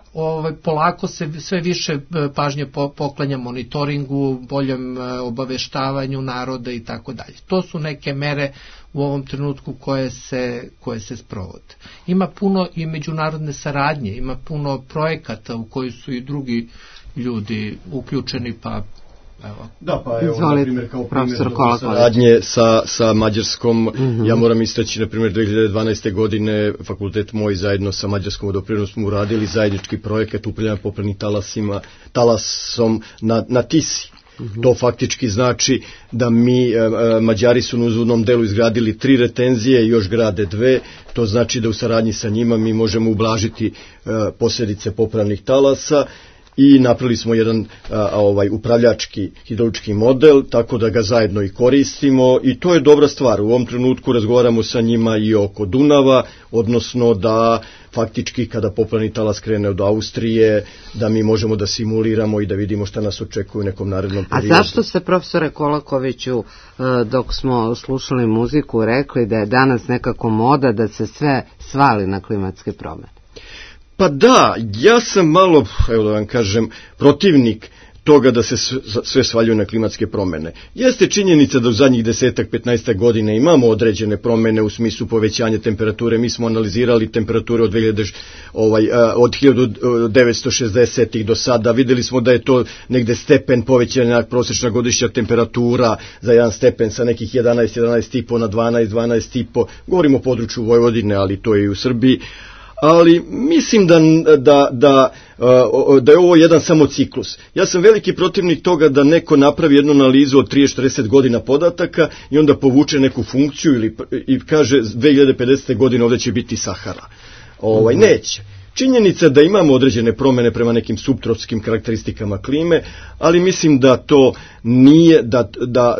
polako se sve više pažnje poklanja monitoringu, boljem obaveštavanju naroda i tako dalje. To su neke mere u ovom trenutku koje se sprovode. Ima puno i međunarodne saradnje, ima puno projekata u koji su i drugi ljudi uključeni, pa evo. Da, pa evo, na primjer, kao primjer saradnje sa Mađarskom, ja moram istaći, na primjer, 2012. godine fakultet moj zajedno sa Mađarskom vodoprivrednom smo uradili zajednički projekat upravljanja poplavnim talasom na Tisi. To faktički znači da Mađari su na uzvodnom delu izgradili 3 retenzije i još grade 2, to znači da u saradnji sa njima mi možemo ublažiti posljedice poplavnih talasa i napravili smo jedan upravljački hidrološki model, tako da ga zajedno i koristimo i to je dobra stvar. U ovom trenutku razgovaramo sa njima i oko Dunava, odnosno da faktički kada poplavni talas krene od Austrije, da mi možemo da simuliramo i da vidimo šta nas očekuje u nekom narednom periodu. A zašto ste, profesore Kolakoviću, dok smo slušali muziku, rekli da je danas nekako moda da se sve svali na klimatske promjene? Pa da, ja sam malo, evo da vam kažem, protivnik toga da se sve svaljuje na klimatske promjene. Jeste činjenica da u zadnjih 10-15 godina imamo određene promjene u smislu povećanja temperature. Mi smo analizirali temperature od 1960-ih do sada. Vidjeli smo da je to negde stepen povećanja prosječna godišnja temperatura za 1 stepen sa nekih 11,5 na 12,5. Govorimo o području Vojvodine, ali to je i u Srbiji. ali mislim da je ovo jedan samo ciklus. Ja sam veliki protivnik toga da neko napravi jednu analizu od 30-40 godina podataka i onda povuče neku funkciju i kaže 2050. godine ovdje će biti Sahara. Neće. Činjenica da imamo određene promjene prema nekim suptropskim karakteristikama klime, ali mislim da to nije,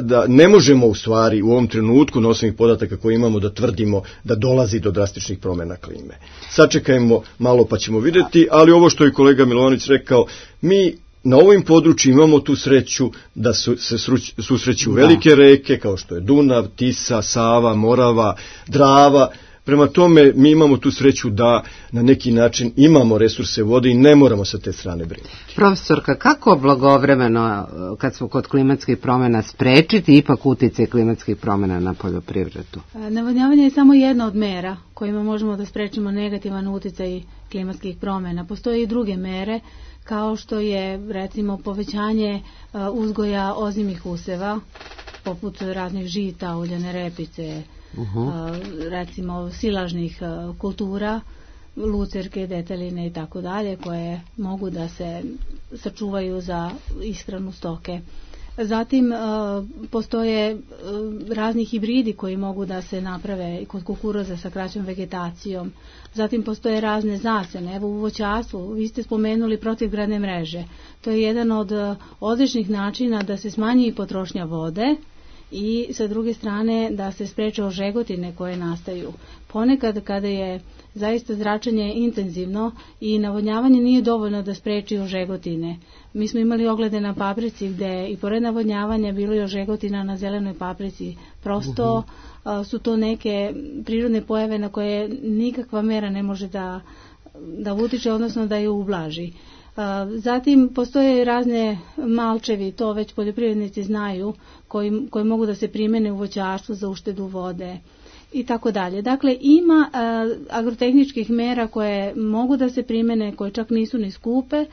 da ne možemo u stvari u ovom trenutku na osnovu podataka koje imamo da tvrdimo da dolazi do drastičnih promjena klime. Sačekajmo malo pa ćemo vidjeti, ali ovo što je kolega Milovanović rekao, mi na ovim području imamo tu sreću da se susreću velike reke kao što je Dunav, Tisa, Sava, Morava, Drava. Prema tome, mi imamo tu sreću da na neki način imamo resurse vode i ne moramo sa te strane brinuti. Profesorka, kako blagovremeno, kad smo kod klimatskih promjena, sprečiti ipak utjecaj klimatskih promjena na poljoprivredu? Navodnjavanje je samo jedna od mera kojima možemo da sprečimo negativan utjecaj klimatskih promjena. Postoje i druge mere, kao što je recimo povećanje uzgoja ozimih useva, poput raznih žita, uljane repice, recimo silažnih kultura, lucerke, deteline i tako dalje, koje mogu da se sačuvaju za ishranu stoke. Zatim postoje razni hibridi koji mogu da se naprave kod kukuruza sa kraćom vegetacijom. Zatim postoje razne zasene. Evo u voćarstvu, vi ste spomenuli protivgradne mreže. To je jedan od odličnih načina da se smanji potrošnja vode i sa druge strane da se spreče ožegotine koje nastaju. Ponekad kada je zaista zračenje intenzivno i navodnjavanje nije dovoljno da spreči ožegotine. Mi smo imali oglede na paprici gde i pored navodnjavanja bilo je ožegotina na zelenoj paprici. Prosto su to neke prirodne pojave na koje nikakva mera ne može da utiče, odnosno da je ublaži. Zatim postoje razne malčevi, to već poljoprivrednici znaju, koji mogu da se primene u voćarstvu za uštedu vode i tako dalje. Dakle, ima agrotehničkih mera koje mogu da se primene, koje čak nisu ni skupe,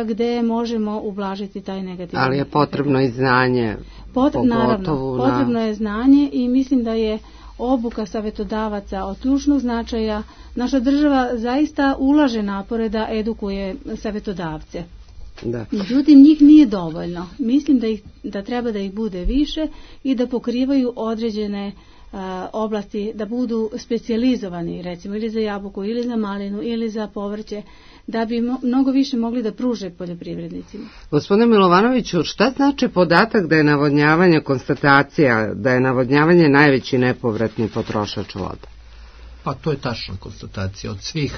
gde možemo ublažiti taj negativan. Ali je potrebno i znanje. Naravno, potrebno je znanje i mislim da je obuka savjetodavaca od ključnog značaja. Naša država zaista ulaže napore da edukuje savjetodavce. Da. Međutim, njih nije dovoljno. Mislim da treba da ih bude više i da pokrivaju određene oblasti, da budu specijalizovani, recimo ili za jabuku, ili za malinu, ili za povrće, da bi mnogo više mogli da pruže poljoprivrednicima. Gospodine Milovanoviću, šta znači podatak da je navodnjavanje, konstatacija da je navodnjavanje najveći nepovratni potrošač voda? Pa to je tačna konstatacija. Od svih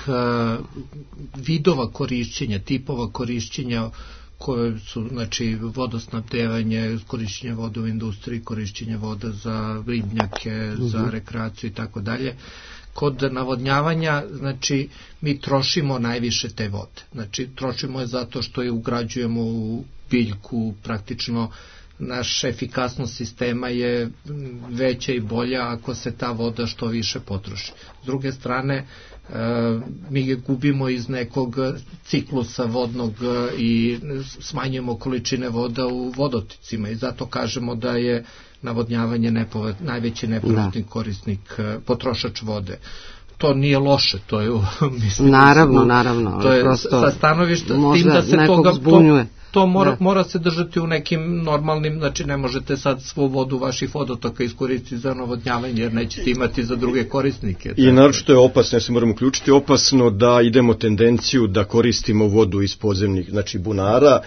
vidova korišćenja, tipova korišćenja koje su, znači, vodosnabdevanje, korišćenje vode u industriji, korišćenje voda za ribnjake, za rekreaciju i tako dalje. Kod navodnjavanja, znači, mi trošimo najviše te vode. Znači, trošimo je zato što je ugrađujemo u biljku, praktično naša efikasnost sistema je veća i bolja ako se ta voda što više potroši. S druge strane, mi je gubimo iz nekog ciklusa vodnog i smanjujemo količine voda u vodoticima i zato kažemo da je navodnjavanje najveći nepovratni korisnik, potrošač vode. To nije loše, to je mislim, naravno, to je sa stanovišta tim da se to mora se držati u nekim normalnim, znači ne možete sad svu vodu vaših vodotoka iskoristiti za navodnjavanje jer nećete imati za druge korisnike. I naročito je opasno, ja se moram uključiti, opasno da idemo tendenciju da koristimo vodu iz podzemnih, znači bunara.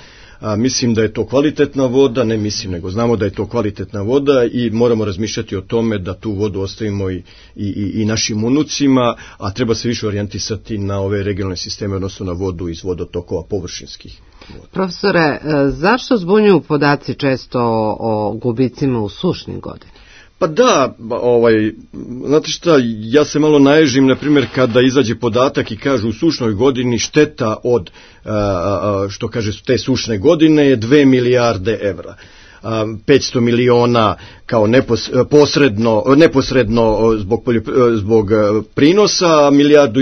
Mislim da je to kvalitetna voda, ne mislim, nego znamo da je to kvalitetna voda i moramo razmišljati o tome da tu vodu ostavimo i našim unucima, a treba se više orijentisati na ove regionalne sisteme, odnosno na vodu iz vodotokova površinskih. Profesore, zašto zbunjuju podaci često o gubicima u sušnim godinama? Pa da, znate šta, ja se malo naježim, na primjer, kada izađe podatak i kažu u sušnoj godini šteta od, što kaže, te sušne godine je 2 milijarde evra. 500 miliona kao neposredno zbog prinosa, a 1,5 milijardu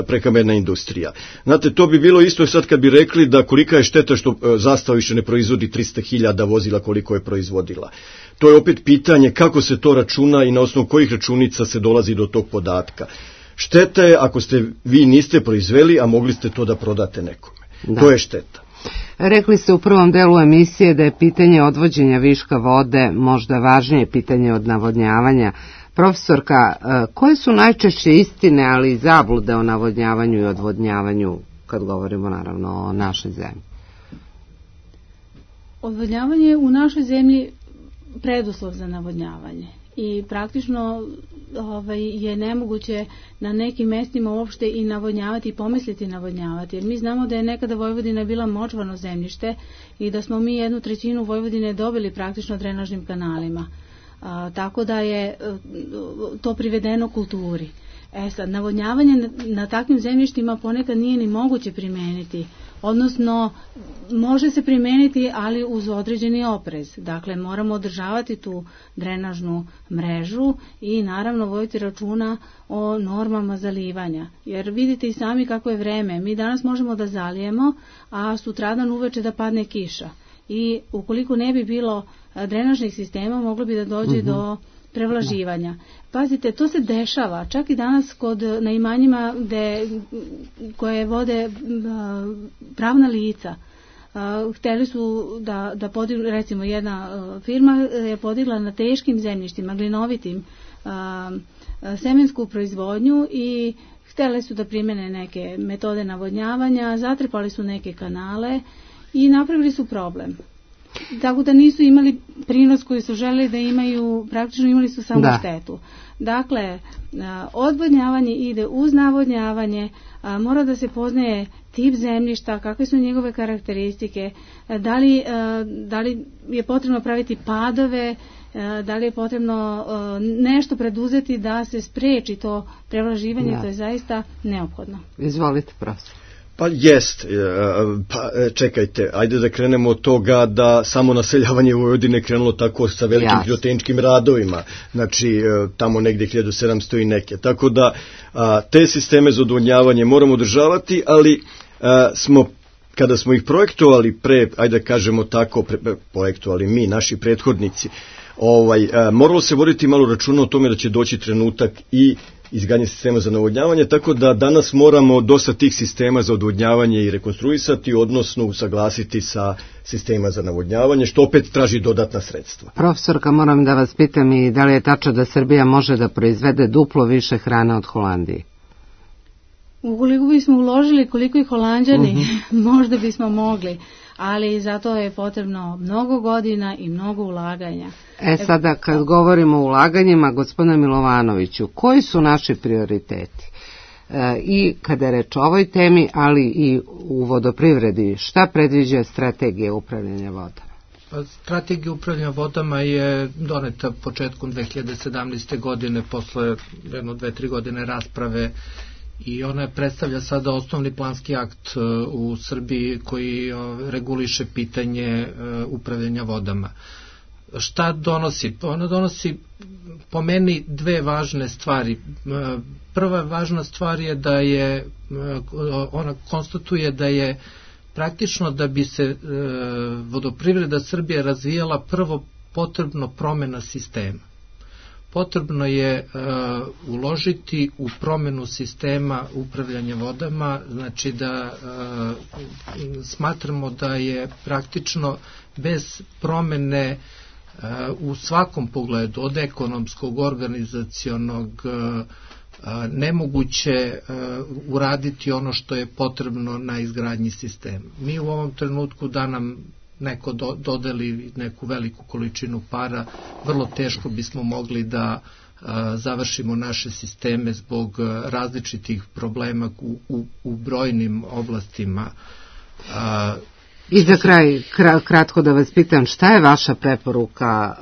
prehrambena industrija. Znate, to bi bilo isto sad kad bi rekli da kolika je šteta što Zastava više ne proizvodi 300.000 vozila koliko je proizvodila. To je opet pitanje kako se to računa i na osnovu kojih računica se dolazi do tog podatka. Šteta je ako vi niste proizveli, a mogli ste to da prodate nekome. Da. To je šteta. Rekli ste u prvom delu emisije da je pitanje odvođenja viška vode možda važnije pitanje od navodnjavanja. Profesorka, koje su najčešće istine, ali i zablude o navodnjavanju i odvodnjavanju, kad govorimo naravno o našoj zemlji? Odvodnjavanje u našoj zemlji preduslov za navodnjavanje i praktično je nemoguće na nekim mestima uopšte i navodnjavati i pomisliti navodnjavati, jer mi znamo da je nekada Vojvodina bila močvarno zemljište i da smo mi 1/3 Vojvodine dobili praktično drenažnim kanalima, tako da je to privedeno kulturi. Sad, navodnjavanje na takvim zemljištima ponekad nije ni moguće primeniti, odnosno može se primeniti, ali uz određeni oprez. Dakle, moramo održavati tu drenažnu mrežu i naravno voditi računa o normama zalivanja. Jer vidite i sami kako je vreme. Mi danas možemo da zalijemo, a sutradan uveče da padne kiša. I ukoliko ne bi bilo drenažnih sistema, moglo bi da dođe do prevlaživanja. Pazite, to se dešava čak i danas na imanjima koje vode pravna lica. Hteli su da podignu, recimo jedna firma je podigla na teškim zemljištima, glinovitim, semensku proizvodnju i hteli su da primene neke metode navodnjavanja, zatrpali su neke kanale i napravili su problem. Tako da nisu imali prinos koji su želeli da imaju, praktično imali su samo štetu. Dakle, odvodnjavanje ide uz navodnjavanje, mora da se poznaje tip zemljišta, kakve su njegove karakteristike, da li je potrebno praviti padove, da li je potrebno nešto preduzeti da se spreči to prevlaživanje, to je zaista neophodno. Izvolite, profesor. Pa jest, čekajte, ajde da krenemo od toga da samo naseljavanje Vojvodine krenulo tako sa velikim hidrotehničkim radovima, znači tamo negde 1700 i neke, tako da te sisteme za odvodnjavanje moramo održavati, ali kada smo ih projektovali ajde da kažemo tako, projektovali mi, naši prethodnici, moralo se voditi malo računa o tome da će doći trenutak i izgradnje sistema za navodnjavanje, tako da danas moramo dosta tih sistema za odvodnjavanje i rekonstruisati, odnosno usaglasiti sa sistema za navodnjavanje, što opet traži dodatna sredstva. Profesorka, moram da vas pitam i da li je tačno da Srbija može da proizvede duplo više hrane od Holandije? Ukoliko bismo uložili koliko i Holanđani, možda bismo mogli, ali zato je potrebno mnogo godina i mnogo ulaganja. Sada kad govorimo o ulaganjima, gospodine Milovanoviću, koji su naši prioriteti? I kada je reč o ovoj temi, ali i u vodoprivredi, šta predviđa strategija upravljanja vodama? Strategija upravljanja vodama je doneta početkom 2017. godine, posle 1-2-3 godine rasprave, i ona predstavlja sada osnovni planski akt u Srbiji koji reguliše pitanje upravljanja vodama. Šta donosi? Ona donosi po meni dve važne stvari. Prva važna stvar je da ona konstatuje da je praktično da bi se vodoprivreda Srbije razvijala prvo potrebno promena sistema. Potrebno je uložiti u promenu sistema upravljanja vodama, znači da smatramo da je praktično bez promene u svakom pogledu, od ekonomskog, organizacionog, nemoguće uraditi ono što je potrebno na izgradnji sistema. Mi u ovom trenutku da nam neko dodeli neku veliku količinu para, vrlo teško bismo mogli da završimo naše sisteme zbog različitih problema u brojnim oblastima. I za kraj, kratko da vas pitam, šta je vaša preporuka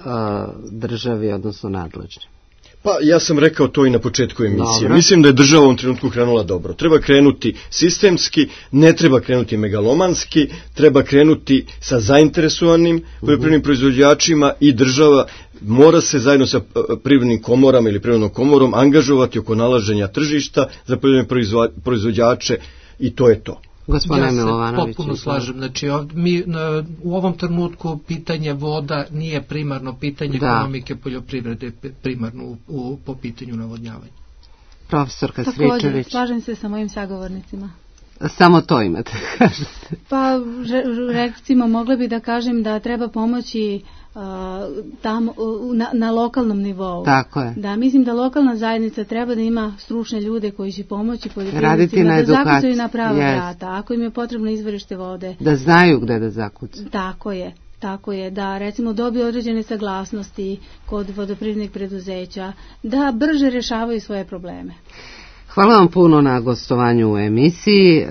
državi, odnosno nadležnim? Pa ja sam rekao to i na početku emisije. Dobro. Mislim da je država u ovom trenutku krenula dobro. Treba krenuti sistemski, ne treba krenuti megalomanski, treba krenuti sa zainteresovanim poljoprivrednim proizvođačima i država mora se zajedno sa privrednim komorama ili privrednom komorom angažovati oko nalaženja tržišta za poljoprivredne proizvođače i to je to. Ja se potpuno slažem. Znači, mi u ovom trenutku pitanje voda nije primarno pitanje ekonomike poljoprivrede, primarno po pitanju navodnjavanja. Profesorka Stričević. Također, slažem se sa mojim sagovornicima. Samo to imate, kažete. Pa, recimo, mogla bi da kažem da treba pomoći tamo na lokalnom nivou. Tako je. Da, mislim da lokalna zajednica treba da ima stručne ljude koji će pomoći poljoprivrednicima da zakucaju na prava vrata. Ako im je potrebno izvorište vode. Da znaju gde da zakucaju. Tako je, da recimo dobiju određene saglasnosti kod vodoprivrednih preduzeća, da brže rješavaju svoje probleme. Hvala vam puno na gostovanju u emisiji.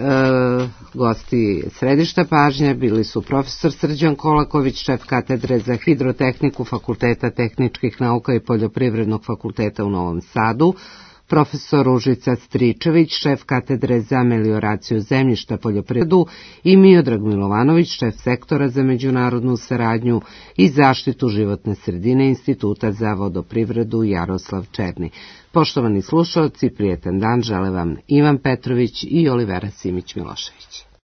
Gosti središta pažnje bili su profesor Srđan Kolaković, šef katedre za hidrotehniku Fakulteta tehničkih nauka i Poljoprivrednog fakulteta u Novom Sadu, profesor Ružica Stričević, šef katedre za melioraciju zemljišta poljoprivredu i Miodrag Milovanović, šef sektora za međunarodnu saradnju i zaštitu životne sredine Instituta za vodoprivredu Jaroslav Černi. Poštovani slušalci, prijetan dan žele vam Ivan Petrović i Olivera Simić-Milošević.